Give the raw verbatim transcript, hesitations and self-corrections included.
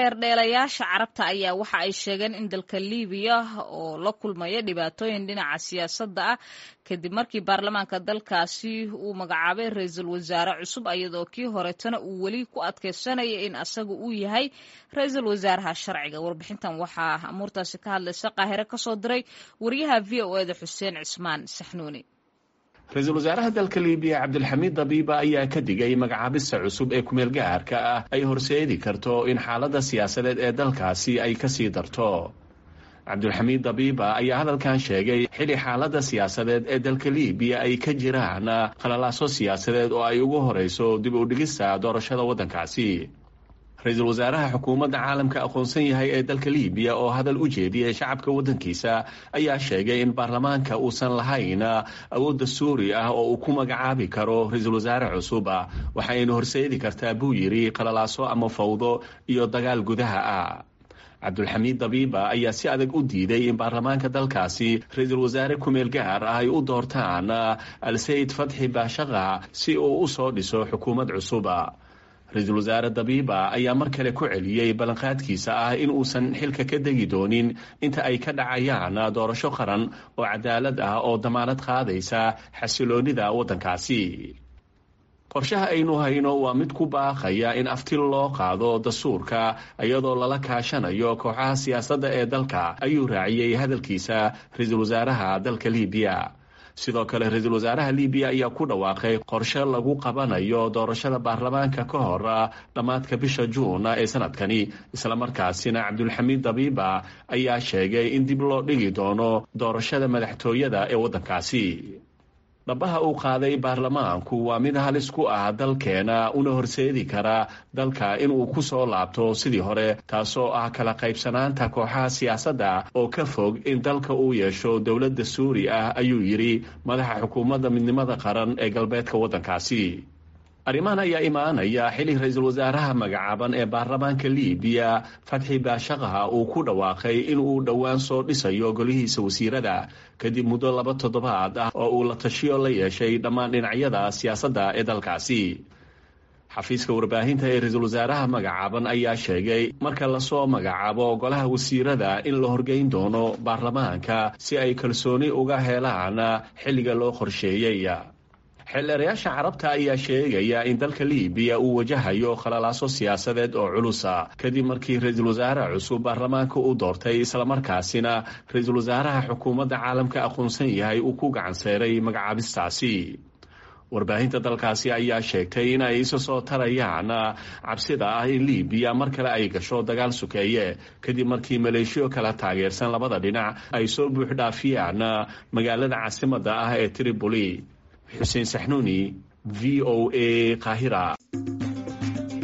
Xeerdheelayaasha Carabta ayaa waxa ay sheegeen in dalka Liibiya oo la kulmaya dhibaatooyin dhinaca siyaasadda ah kadib markii baarlamaanka dalkaasi uu magacaabay ra-iisul wasaare cusub, iyadoo kii horetana uu weli ku adkeysanaya in asaga uu yahay ra-iisul wasaaraha sharciga. Warbixintan waxaa amuurtaasi ka hadlaysa Qaahire kasoo diray wariyaha V O eda Xuseen Cismaan Saxnuuni. Ra-iisul wasaaraha dalka Liibiya Cabdilxamiid Dabiiba ayaa ka digay magacaabista cusub ee kumeel gaarka ah ay horseedi karto in xaaladda siyaasadeed ee dalkaasi ay kasii darto. Cabdulxamiid Dabiiba ayaa hadalkan sheegay xili xaaladda siyaasadeed ee dalka Liibiya ay ka jiraan qalalaaso siyaasadeed oo ay ugu horeyso dib u dhigista doorashada waddankaasi. Ra-iisul wasaaraha xukuumadda caalamka aqoonsan yahay ee dalka Liibiya oo hadal u jeediyey shacabka waddankiisa ayaa sheegay in baarlamaanka uusan lahayn awoodda suuri ah oo uu ku magacaabi karo ra-iisul wasaare cusub, waxaynu horseedi kartaa, buu yidhi, qalalaaso ama fawdo iyo dagaal gudaha ah. Cabdulxamiid Dabiiba ayaa si adag u diiday in baarlamaanka dalkaasi ra-iisul wasaare kumeel gaar ah ay u doortaan Alsayid Fatxi Baashaqa si uu u soo dhiso xukuumad cusuba. Ra-iisul wasaare Dabiiba ayaa mar kale ku celiyey ballanqaadkiisa ah in uusan xilka ka degi doonin inta ay ka dhacayaan doorasho qaran oo cadaalad ah oo damaanad qaadaysa xasiloonida waddankaasi. Qorshaha aynu hayno waa mid ku baaqaya in afti loo qaado dastuurka iyadoo lala kaashanayo kooxaha siyaasadda ee dalka, ayuu raaciyey hadalkiisa ra-iisul wasaaraha dalka Liibiya. Sidoo kale ra-iisul wasaaraha Liibiya ayaa ku dhawaaqay qorshe lagu qabanayo doorashada baarlamaanka ka hor dhammaadka bisha Juun ee sanadkani. Islamarkaasina Cabdulxamiid Dabiiba ayaa sheegay in dib loo dhigi doono doorashada madaxtooyada ee waddankaasi. Dhabaha uu qaaday baarlamaanku waa mid halis ku ah dalkeena una horseedi kara dalka inuu ku soo laabto sidii hore, taasoo ah kala qaybsanaanta kooxaha siyaasadda oo ka fog in dalka uu yeesho dowladda suuri ah, ayuu yidhi madaxa xukuumadda midnimada qaran ee galbeedka waddankaasi. Arrimahan ayaa imaanaya xili ra-iisul wasaaraha magacaaban ee baarlamaanka Liibiya Fatxi Baashaqaha uu ku dhawaaqay in uu dhowaan soo dhisayo golihiisa wasiirada kadib muddo laba toddobaad ah oo uu la tashiyo la yeeshay dhammaan dhinacyada siyaasadda ee dalkaasi. Xafiiska warbaahinta ee ra-iisul wasaaraha magacaaban ayaa sheegay marka lasoo magacaabo golaha wasiirada in la horgeyn doono baarlamaanka si ay kalsooni uga helaan xilliga loo qorsheeyey. Xeeldheerayaasha Carabta ayaa sheegaya in dalka Liibiya uu wajahayo khalalaaso siyaasadeed oo culusa kadib markii ra-iisul wasaare cusub baarlamaanka u doortay, islamarkaasina ra-iisul wasaaraha xukuumadda caalamka aqoonsan yahay uu ku gacan seeray magacaabistaasi. Warbaahinta dalkaasi ayaa sheegtay in ay isa soo tarayaan cabsida ah in Liibiya mar kale ay gasho dagaal sukeeye kadib markii maleeshiyo kala taageersan labada dhinac ay soo buuxdhaafiyaan magaalada caasimadda ah ee Tripoli. Xuseen Saxnuuni, V O A, Qaahira.